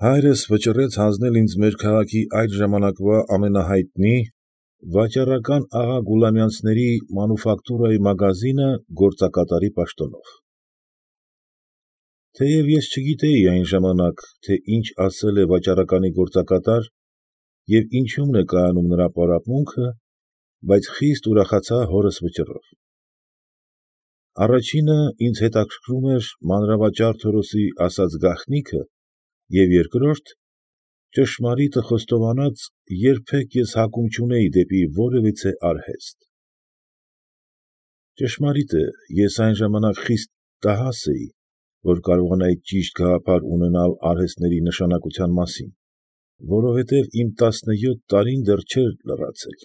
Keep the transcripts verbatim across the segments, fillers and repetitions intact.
Հայրս վճռեց հանձնել ինձ մեր քաղաքի այդ ժամանակվա ամենահայտնի վաճառական աղա Գուլամյանցների մանուֆակտուրայի մագազինը գործակատարի պաշտոնով։ Թեև ես չգիտեի այն ժամանակ, թե ինչ ասել է վաճառականի գործակատար և ինչումն է կայանում նրա պարապմունքը, բայց խիստ ուրախացա հորս վճռով։ Առաջինը ինձ հետաքրքրում էր մանրավաճառ Թորոսի ասած գաղտնիքը և երկրորդ, ճշմարիտը խոստովանած, երբեք ես հակում չունեի դեպի որևիցե արհեստ։ Ճշմարիտ է, ես այն ժամանակ խիստ տհաս էի, որ կարողանայի ճիշտ գաղափար ունենալ արհեստների նշանակության մասին, որովհետև իմ տասնյոթ տարին դեռ չէր լրացել,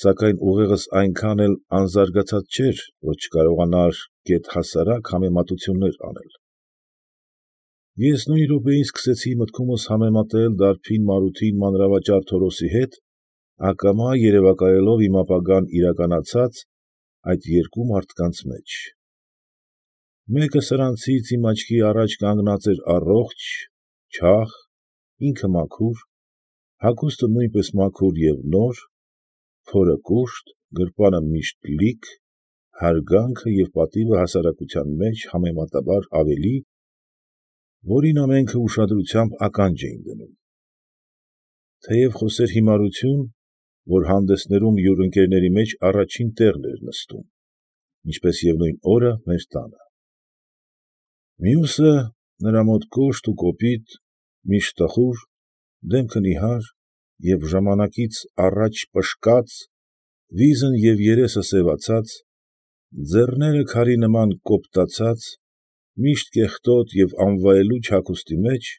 սակայն ուղեղս այնքան էլ անզարգացած չէր, որ չկարողանար գեթ հասարակ համեմատություններ անել։ Ես նույն րոպեին սկսեցի մտքումս համեմատել դարբին Մարութին մանրավաճառ Թորոսի հետ, ակամա երևակայելով իմ ապագան իրականացած այդ երկու մարդկանց մեջ։ Մեկը սրանցից իմ աչքի առաջ կանգնած էր առողջ, չաղ, ինքը մաքուր, հագուստը նույնպես մաքուր և նոր, փորը կուշտ, գրպանը միշտ լիք, հարգանքը և պատիվը հասարակության մեջ համեմատաբար ավելի, որին ամենքը ուշադրությամբ ականջ էին դնում։ Թեև խոսեր հիմարություն, որ հանդեսներում յուր ընկերների մեջ առաջին տեղն էր նստում, ինչպես և նույն օրը մեր տանը։ Մյուսը, նրա մոտ կոշտ ու կոպիտ, միշտ տխուր, դեմքը նիհար և ժամանակից առաջ պշկած, վիզն և երեսը սևացած, ձեռները քարի նման կոպտացած, միշտ կեղտոտ և անվայելուչ հագուստի մեջ,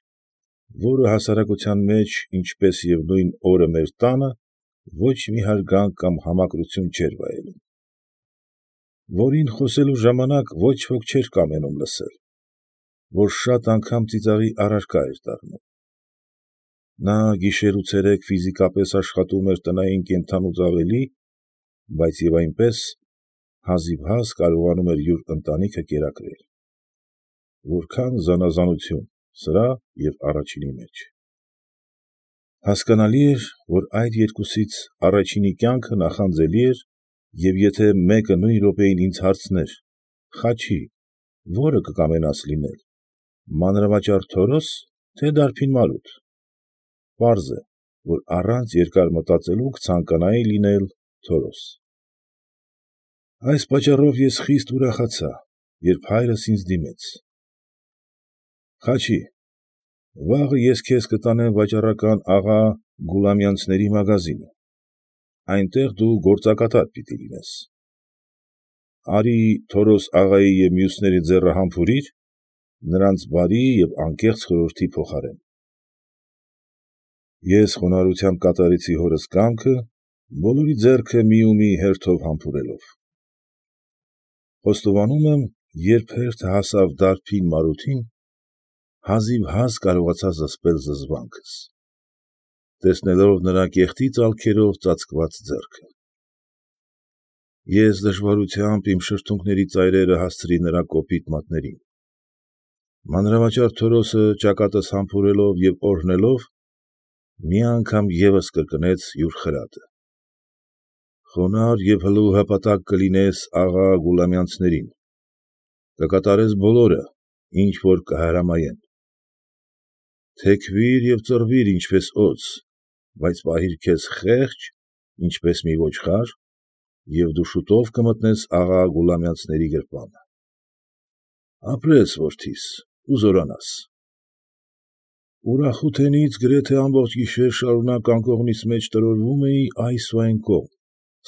որը հասարակության մեջ, ինչպես և նույն օրը մեր տանը, ոչ մի հարգանք կամ համակրություն չէր վայելում, որին խոսելու ժամանակ ոչ ոք չէր կամենում լսել, որ շատ անգամ ծիծաղի առարկա էր դառնում։ Նա գիշեր ու ցերեկ ֆիզիկապես աշխատում էր տնային կենդանուց ավելի, բայց և այնպես հազիվհազ կարողանում էր յուր ընտանիքը կերակրել։ Որքա՜ն զանաղանություն սրա և առաջինի մեջ։ Հասկանալի էր, որ այդ երկուսից առաջինի կյանքը նախանձելի էր, և եթե մեկը նույն րոպեին ինձ հարցներ. «Խաչի, ո՞րը կկամենաս լինել, մանրավաճառ Թորո՞ս, թե դարբին Մարութ», պարզ է, որ առանց երկար մտածելու կցանկանայի լինել Թորոս։ Այս պատճառով ես խիստ ուրախացա, երբ հայրս ինձ դիմեց. «Խաչի, վաղը ես քեզ կտանեմ վաճառական աղա Գուլամյանցների մագազինը, այնտեղ դու գործակատար պիտի լինես։ Արի Թորոս աղայի և մյուսների ձեռը համբուրիր նրանց բարի և անկեղծ խորհրդի փոխարեն»։ Ես խոնարհությամբ կատարեցի հորս կամքը, բոլորի ձեռքը մի ու մի հերթով համբուրելով։ Խոստովանում եմ, երբ հերթը հասավ դարբին Մարութին, հազիվհազ կարողացա զսպել զզվանքս, տեսնելով նրա կեղտի ծալքերով ծածկված ձեռքը։ Ես դժվարությամբ իմ շրթունքների ծայրերը հասցրի նրա կոպիտ մատներին։ Մանրավաճառ Թորոսը ճակատս համբուրելով և օրհնելով, մի անգամ ևս կրկնեց յուր խրատը. «Խոնարհ և հլու հպատակ կլինես աղա Գուլամյանցներին, կկատարես բոլորը, ինչ որ կհրամայեն։ Թեքվիր և ծռվիր ինչպես օձ, բայց պահիր քեզ խեղճ, ինչպես մի ոչխար, և դու շուտով կմտնես աղա Գուլամյանցների գրպանը։ Ապրես, որդիս, ու զորանաս»։ Ուրախութենից գրեթե ամբողջ գիշեր շարունակ անկողնիս մեջ տրորվում էի այս ու այն կողմ,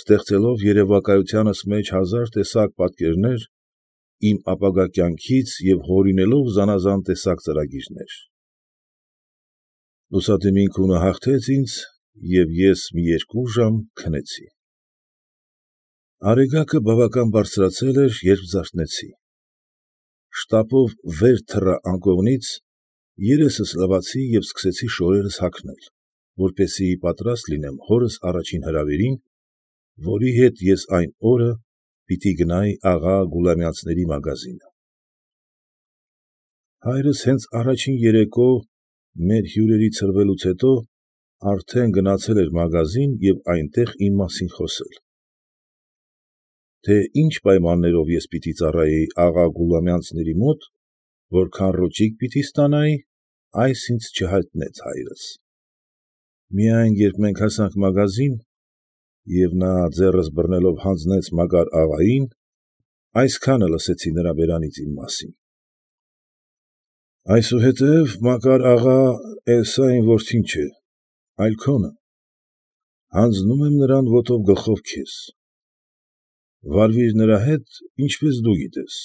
ստեղծելով երևակայությանս մեջ հազար տեսակ պատկերներ իմ ապագա կյանքից և հորինելով զանաղան տեսակ ծրագիրներ։ Լուսադեմին քունը հաղթեց ինձ, և ես մի երկու ժամ քնեցի։ Արեգակը բավական բարձրացել էր, երբ զարթնեցի։ Շտապով վեր թռա անկողնից, երեսս լվացի և սկսեցի շորերս հագնել, որպեսզի պատրաստ լինեմ հորս առաջին հրավերին, որի հետ ես այն օրը պիտի գնայի աղա Գուլամյանցների մագազինը։ Հայրս հենց առաջին երեկո մեր հյուրերի ցրվելուց հետո արդեն գնացել էր մագազին և այնտեղ իմ մասին խոսել։ Թե ինչ պայմաններով ես պիտի ծառայեի աղա Գուլամյանցների մոտ, որքան ռոճիկ պիտի ստանայի, այս ինձ չհայտնեց հայրս։ Միայն, երբ մենք հասանք մագազին, և նա ձեռս բռնելով հանձնեց Մակար աղային, այսքանը լսեցի նրա բերանից իմ մասին. ֊ Այսուհետև, Մակար աղա, էլ սա իմ որդին չէ, այլ քոնը, հանձնում եմ նրան ոտով գլխով քեզ, վարվի՛ր նրա հետ, ինչպես դու գիտես,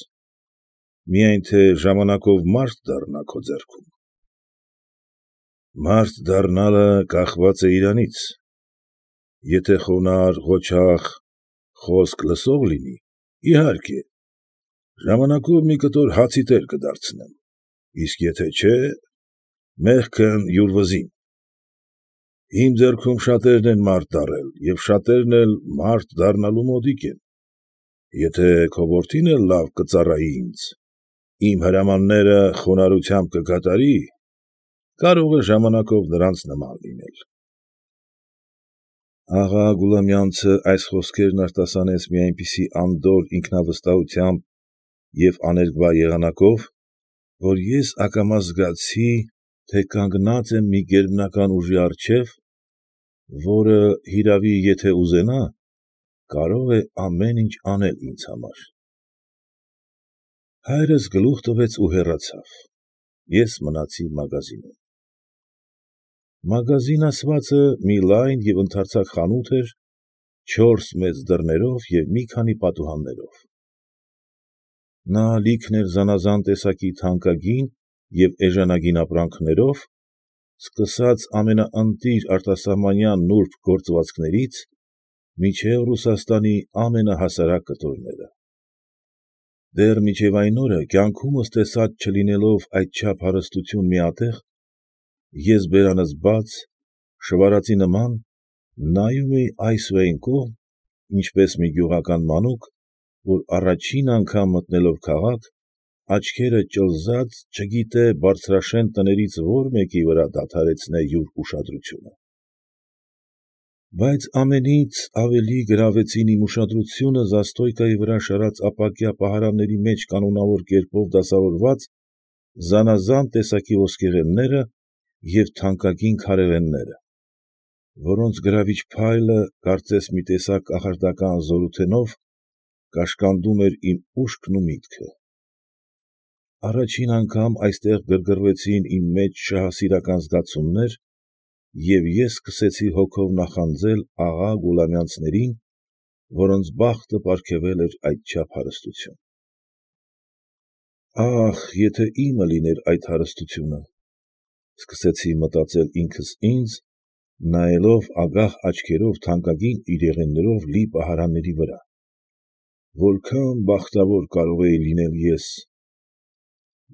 միայն թե ժամանակով մարդ դառնա քո ձեռքում։ Մարդ դառնալը կախված է իրանից. եթե խոնարհ, ղոչաղ, խոսք լսող լինի, իհարկե, ժամանակով մի կտոր հացի տեր կդարձնեմ, իսկ եթե չէ, մեղքն յուր վզին։ Իմ ձեռքում շատերն են մարդ դառել և շատերն էլ մարդ դառնալու մոտիկ են, եթե քո որդին էլ լավ կծառայի ինձ, իմ հրամանները խոնարհությամբ կկատարի, կարող է ժամանակով նրանց նման լինել։ Աղա Գուլամյանցը այս խոսքերն արտասանեց մի այնպիսի անդորր ինքնավստահությամբ և աներկբա եղանակով, որ ես ակամա զգացի, թե կանգնած եմ մի գերբնական ուժի առջև, որը, հիրավի, եթե ուզենա, կարող է ամեն ինչ անել ինձ համար։ Հայրս գլուխ տվեց ու հեռացավ, ես մնացի մագազինում։ Մագազին ասվածը մի լայն և ընդարձակ խանութ էր չորս մեծ դռներով և մի քանի պատուհաններով։ Նա լիքն էր զանաղան տեսակի թանկագին և էժանագին ապրանքներով, սկսած ամենաընտիր արտասահմանյան նուրբ գործվածներից մինչև Ռուսաստանի ամենահասարակ կտորները։ Դեռ մինչև այն օրը կյանքումս տեսած չլինելով այդչափ հարստություն միատեղ, ես բերանս բաց, շվարածի նման, նայում էի այս ու այն կողմ, ինչպես մի գյուղական մանուկ, որ առաջին անգամ մտնելով քաղաք, աչքերը ճլզած չգիտե բարձրաշեն տներից որ մեկի վրա դադարեցնե յուր ուշադրությունը։ Բայց ամենից ավելի գրավեցին իմ ուշադրությունը զաստոյկայի վրա շարած ապակյա պահարանների մեջ կանոնավոր կերպով դասավորված զանաղան տեսակի ոսկեղենները և թանկագին քարեղենները, որոնց գրավիչ փայլը, կարծես մի տեսակ կախարդական զորութենով, կաշկանդում էր իմ ուշքն ու միտքը։ Առաջին անգամ այստեղ գրգռվեցին իմ մեջ շահասիրական զգացումներ, և ես սկսեցի հոգով նախանձել աղա Գուլամյանցներին, որոնց բախտը պարգևել էր այդչափ հարստություն։ Ա՜խ, եթե իմը լիներ այդ հարստությունը, սկսեցի մտածել ինքս ինձ, նայելով ագահ աչքերով թանկագին իրեղեններով լի պահարանների վրա, որքա՜ն բախտավոր կարող էի լինել ես,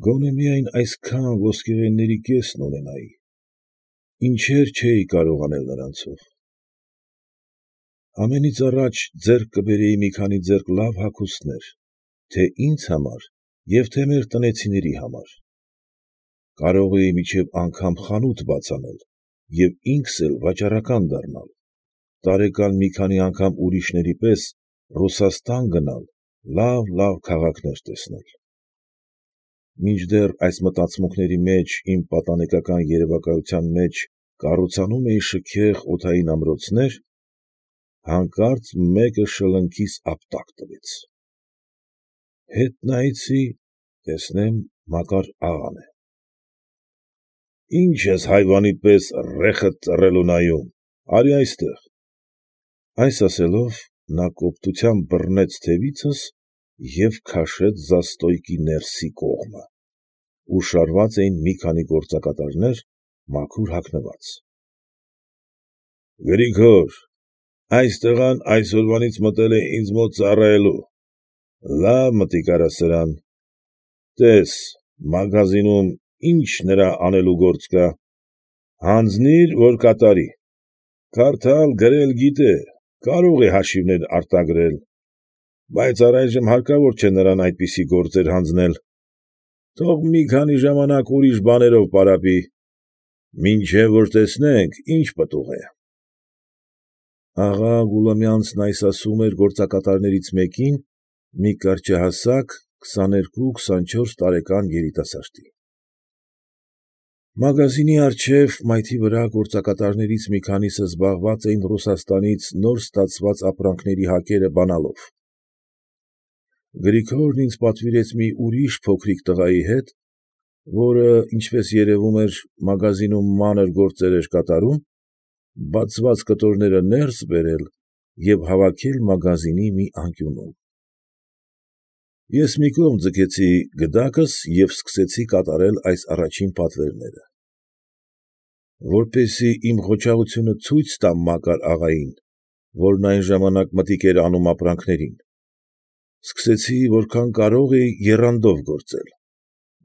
գոնե միայն այսքան ոսկեղենների կեսն ունենայի, ինչեր չէի կարող անել նրանցով։ Ամենից առաջ ձեռք կբերեի մի քանի ձեռք լավ հագուստներ, թե՛ ինձ համար և թե՛ մեր տնեցիների համար։ Կարող էի մինչև անգամ խանութ բաց անել և ինքս էլ վաճառական դառնալ, տարեկան մի քանի անգամ ուրիշների պես Ռուսաստան գնալ, լավ֊լավ քաղաքներ տեսնել։ Մինչդեռ այս մտածմունքների մեջ իմ պատանեկական երևակայության մեջ կառուցանում էի շքեղ օդային ամրոցներ, հանկարծ մեկը շլնքիս ապտակ տվեց։ Հետ նայեցի, տեսնեմ Մակար աղան է։ ֊ Ի՞նչ ես հայվանի պես ռեխդ ծռել ու նայում, արի այստեղ։ Այս ասելով, նա կոպտությամբ բռնեց թևիցս և քաշեց զաստոյկի ներսի կողմը, ուր շարված էին մի քանի գործակատարներ մաքուր հագնված։ ֊ Գրիգոր, այս տղան այսօրվանից մտել է ինձ մոտ ծառայելու, լավ մտիկ արա սրան, տես մագազինում ինչ նրա անելու գործ կա, հանձնիր, որ կատարի, կարդալ, գրել գիտե, կարող է հաշիվներ արտագրել, բայց առայժմ հարկավոր չէ նրան այդպիսի գործեր հանձնել, թող մի քանի ժամանակ ուրիշ բաներով պարապի։ Մինչև որ տեսնենք, ինչ պտուղ է։ Աղա Գուլամյանցն այս ասում էր գործակատարներից մեկին, մի կարճահասակ, քսաներկու քսանչորս տարեկան երիտասարդի։ Մագազինի առջև, մայթի վրա գործակատարներից մի քանիսը զբաղված էին Ռուսաստանից նոր ստացված ապրանքների հակերը բանալով։ Գրիգորն ինձ պատվիրեց մի ուրիշ փոքրիկ տղայի հետ, որը, ինչպես երևում էր, մագազինում մանր գործեր էր կատարում, բացված կտորները ներս բերել և հավաքել մագազինի մի անկյունում։ Ես մի կողմ ձգեցի գդակս և սկսեցի կատարել այս առաջին պատվերները։ Որպեսզի իմ ղոչաղությունը ցույց տամ Մակար աղային, որն այն ժամանակ մտիկ էր անում ապրանքներին, սկսեցի որքան կարող էի եռանդով գործել,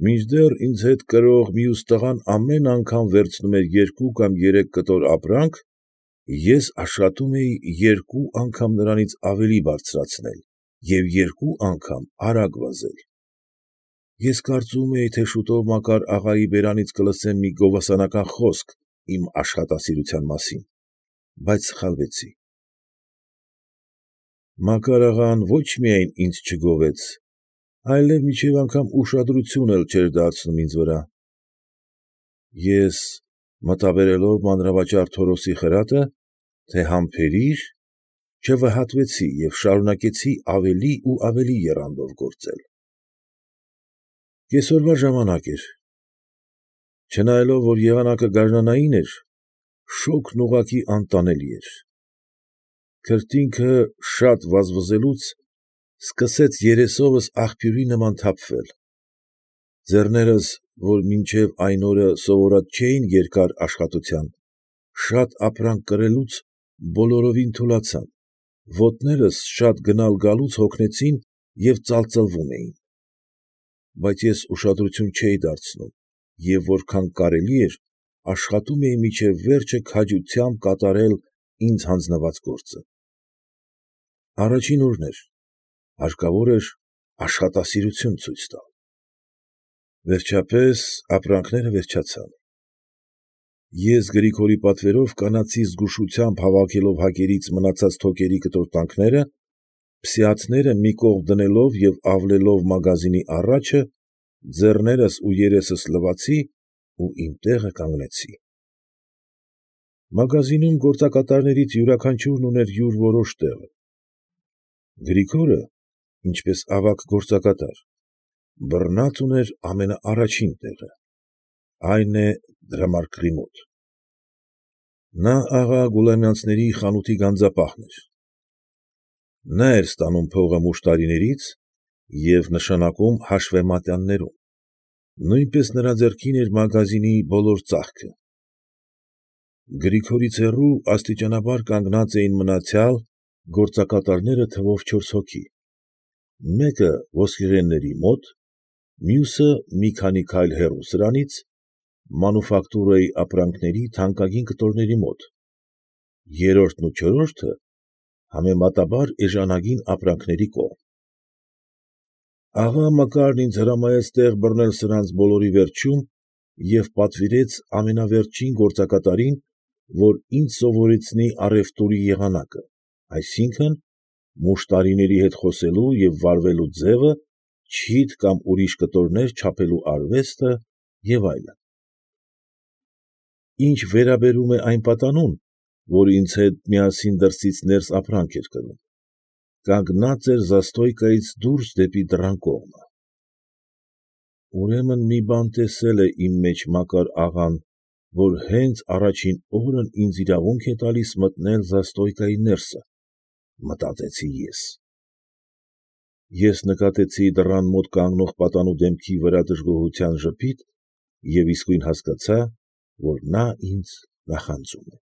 մինչդեռ ինձ հետ կրող մյուս տղան ամեն անգամ վերցնում էր երկու կամ երեք կտոր ապրանք, ես աշխատում էի երկու անգամ նրանից ավելի բարձրացնել և երկու անգամ արագ վազել։ Ես կարծում էի, թե շուտով Մակար աղայի բերանից կլսեմ մի գովասանական խոսք իմ աշխատասիրության մասին, բայց սխալվեցի։ Մակար աղան ոչ միայն ինձ չգովեց, այլև մինչև անգամ ուշադրություն էլ չէր դարձնում ինձ վրա։ Ես, մտաբերելով մանրավաճառ Թորոսի խրատը, թե համբերիր, չվհատվեցի և շարունակեցի ավելի ու ավելի եռանդով գործել։ Կեսօրվա ժամանակ էր։ Չնայելով, որ եղանակը գարնանային էր, շոգն ուղղակի անտանելի էր։ Քրտինքը շատ վազվզելուց սկսեց երեսովս աղբյուրի նման թափվել։ Ձեռներս, որ մինչև այն օրը սովորած չէին երկար աշխատության, շատ ապրանք կրելուց բոլորովին թուլացան, ոտներս շատ գնալ գալուց հոգնեցին և ծալծլվում էին։ Բայց ես ուշադրություն չէի դարձնում և որքան կարելի էր աշխատում էի մինչև վերջը քաջությամբ կատարել ինձ հանձնված գործը։ Առաջին օրն էր, հարկավոր էր աշխատասիրություն ցույց տալ։ Վերջապես ապրանքները վերջացան։ Ես Գրիգորի պատվերով կանացի զգուշությամբ հավաքելով հակերից մնացած թոկերի կտորտանքները, փսիաթները մի կողմ դնելով և ավլելով մագազինի առաջը, ձեռներս ու երեսս լվացի ու իմ տեղը կանգնեցի։ Մագազինում գործակատարներից յուրաքանչյուրն ուներ յուր որոշ տեղը։ Գրիգորը, ինչպես ավագ գործակատար, բռնած ուներ ամենաառաջին տեղը, այն է, դրամարկղի մոտ։ Նա աղա Գուլամյանցների խանութի գանձապահն էր։ Նա էր ստանում փողը մուշտարիներից և նշանակում հաշվեմատյաններում, նույնպես նրա ձեռքին էր մագազինի բոլոր ծախքը։ Գրիգորից հեռու աստիճանաբար կանգնած էին մնացյալ գործակատարները թվով չորս հոգի, մեկը ոսկեղենների մոտ, մյուսը մի քանի քայլ հեռու սրանից, մանուֆակտուրայի ապրանքների թանկագին կտորների մոտ, երրորդն ու չորրորդը համեմատաբար էժանագին ապրանքների կողմ։ Աղա Մակարն ինձ հրամայեց տեղ բռնել սրանց բոլորի վերջում և պատվիրեց ամենավերջին գործակատարին, որ ինձ սովորեցնի առուտուրի եղանակը, այսինքն՝ մուշտարիների հետ խոսելու և վարվելու ձևը, չիթ կամ ուրիշ կտորներ չափելու արվեստը և այլն։ Ինչ վերաբերում է այն պատանուն, որ ինձ հետ միասին դրսից ներս ապրանք էր կրում, կանգնած էր զաստոյկայից դուրս դեպի դռան կողմը։ Ուրեմն մի բան տեսել է իմ մեջ Մակար աղան, որ հենց առաջին օրն ինձ իրավունք է տալիս մտնել զաստոյկայի ներսը, մտածեցի ես։ Ես նկատեցի դռան մոտ կանգնող պատանու դեմքի վրա դժգոհության ժպիտ և իսկույն հասկացա, որ նա ինձ նախանձում է։